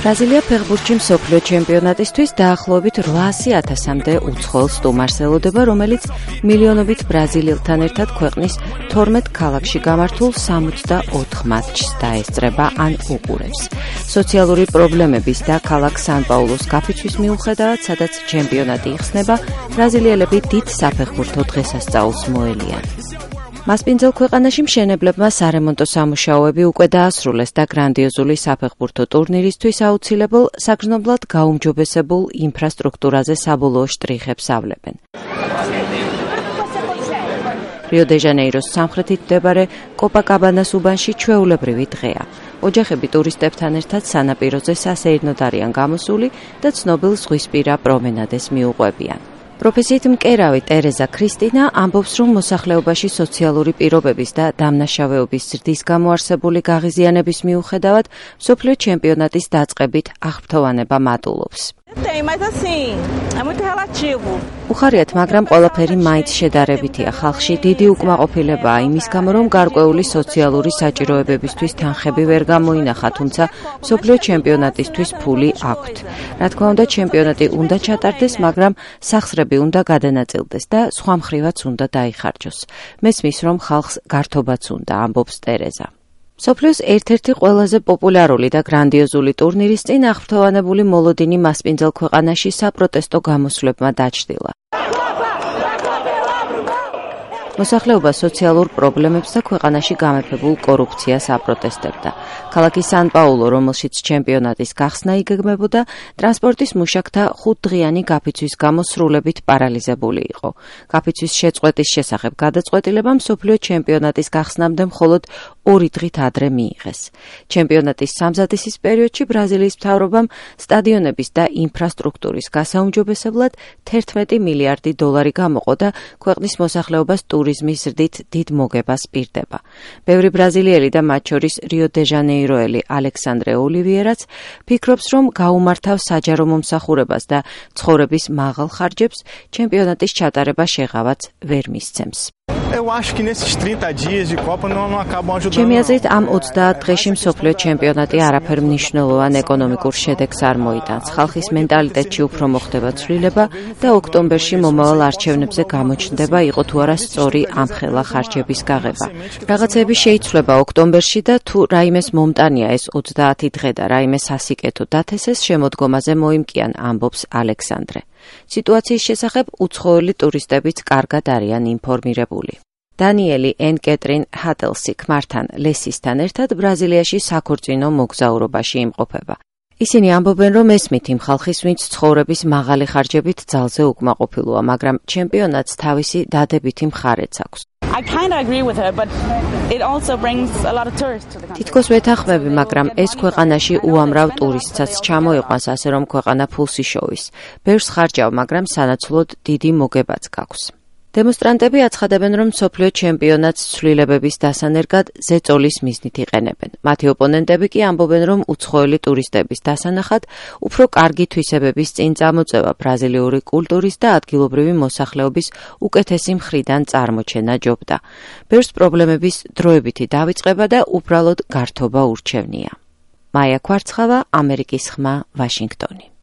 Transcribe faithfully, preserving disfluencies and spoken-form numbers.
ბრაზილია ფეხბურთში მსოფლიო ჩემპიონატისთვის დაახლოებით რვაასი ათასამდე უცხოელ სტუმარს ელოდება, რომელიც მილიონობით ბრაზილიელთან ერთად ქვეყნის თორმეტ ქალაქში გამართულ სამოცდაოთხ მატჩს დაესწრება ან უყურებს. სოციალური პრობლემების და ქალაქ სან-პაულუს გაფიცვის მიუხედავად, სადაც ჩემპიონატი იხსნება, ბრაზილიელები დიდ საფეხბურთო დღესასწაულს მოელიან. მასპინძელ ქვეყანაში მშენებლებმა სარემონტო სამუშაოები უკვე დაასრულეს და გრანდიოზული საფეხბურთო ტურნირისთვის აუცილებელ საგრძნობლად გაუმჯობესებულ ინფრასტრუქტურაზე საბოლოო შტრიხებს ავლებენ. რიო-დე-ჟანეიროს სამხრეთით მდებარე კოპაკაბანას უბანში ჩვეულებრივი დღეა. ოჯახები ტურისტებთან ერთად სანაპიროზე სასეირნოდ არიან გამოსული და ცნობილ ზღვისპირა პრომენადას მიუყვებიან. პროფესიით მკერავი ტერეზა ქრისტინა ამბობს, რომ მოსახლეობაში სოციალური პირობების და დამნაშავეობის ზრდის გამო არსებული გაღიზიანების მიუხედავად, მსოფლიო ჩემპიონატის დაწყებით აღფრთოვანება მატულობს. უხარიათ, მაგრამ ყველაფერი მაინც შედარებითია. ხალხში დიდი უკმაყოფილებაა იმის გამო, რომ გარკვეული სოციალური საჭიროებებისთვის თანხები ვერ გამოინახა, თუმცა მსოფლიო ჩემპიონატისთვის ფული აქვთ. რა თქმა უნდა, ჩემპიონატი უნდა ჩატარდეს, მაგრამ სახსრები უნდა გადანაწილდეს და სხვა მხრივაც უნდა დაიხარჯოს. მესმის, რომ ხალხს გართობაც უნდა, ამბობს ტერეზა. მსოფლიოს ერთ-ერთი ყველაზე პოპულარული და გრანდიოზული ტურნირის წინ აღფრთოვანებული მოლოდინი მასპინძელ ქვეყანაში საპროტესტო გამოსვლებმა დაჩრდილა. მოსახლეობა სოციალურ პრობლემებს და ქვეყანაში გამეფებულ კორუფციას აპროტესტებდა. ქალაქი სან-პაულუ, რომელშიც ჩემპიონატის გახსნა იგეგმებოდა, ტრანსპორტის მუშაკთა ხუთდღიანი გაფიცვის გამო სრულებით პარალიზებული იყო. გაფიცვის შეწყვეტის შესახებ გადაწყვეტილება მსოფლიო ჩემპიონატის გახსნამდე მხოლოდ ორი დღით ადრე მიიღეს. ჩემპიონატის სამზადისის პერიოდში ბრაზილიის მთავრობამ სტადიონების და ინფრასტრუქტურის გასაუმჯობესებლად თერთმეტი მილიარდი დოლარი გამოყო და ქვეყნის მოსახლეობას ტურიზმის ზრდით დიდ მოგებას პირდება. ბევრი ბრაზილიელი და მათ შორის რიო-დე-ჟანეიროელი ალექსანდრე ოლივიერაც ფიქრობს, რომ გაუმართავ საჯარო მომსახურებას და ცხოვრების მაღალ ხარჯებს ჩემპიონატის ჩატარება შეღავაც ვერ მისცემს. ჩემი აზრით, ამ ოცდაათ დღეში მსოფლიო ჩემპიონატი არაფერ მნიშვნელოვან ეკონომიკურ შედეგს არ მოიტანს. ხალხის მენტალიტეტში უფრო მოხდება ცვლილება და ოქტომბერში მომავალ არჩევნებზე გამოჩნდება, იყო თუ არა სწორი ამხელა ხარჯების გაღება. რაღაცები შეიცვლება ოქტომბერში და თუ რაიმეს მომტანია ეს ოცდაათი დღე და რაიმე სასიკეთო დათესეს, შემოდგომაზე მოიმკიან, ამბობს ალექსანდრე. სიტუაციის შესახებ უცხოელი ტურისტებიც კარგად არიან ინფორმირებული. დანიელი ენ კეტრინ ჰატელსი ქმართან ლესისთან ერთად ბრაზილიაში საქორწინო მოგზაურობაში იმყოფება. ისინი ამბობენ, რომ ესმით იმ ხალხის, ვინც ცხოვრების მაღალი ხარჯებით ძალზე უკმაყოფილოა, მაგრამ ჩემპიონატს თავისი დადებითი მხარეც აქვს. თითქოს ვეთანხმები, მაგრამ ეს ქვეყანაში უამრავ ტურისტსაც ჩამოიყვანს, ასე რომ ქვეყანა ფულს იშოვის. ბევრს ხარჯავ, მაგრამ სანაცვლოდ დიდი მოგებაც გაქვს. დემონსტრანტები აცხადებენ, რომ მსოფლიო ჩემპიონატს ცვლილებების დასანერგად ზეწოლის მიზნით იყენებენ. მათი ოპონენტები კი ამბობენ, რომ უცხოელი ტურისტების დასანახად უფრო კარგი თვისებების წინ წამოწევა ბრაზილიური კულტურის და ადგილობრივი მოსახლეობის უკეთესი მხრიდან წარმოჩენა ჯობდა. ბევრს პრობლემების დროებითი დავიწყება და უბრალოდ გართობა ურჩევნია. მაია ქვარცხავა, ამერიკის ხმა, ვაშინგტონი.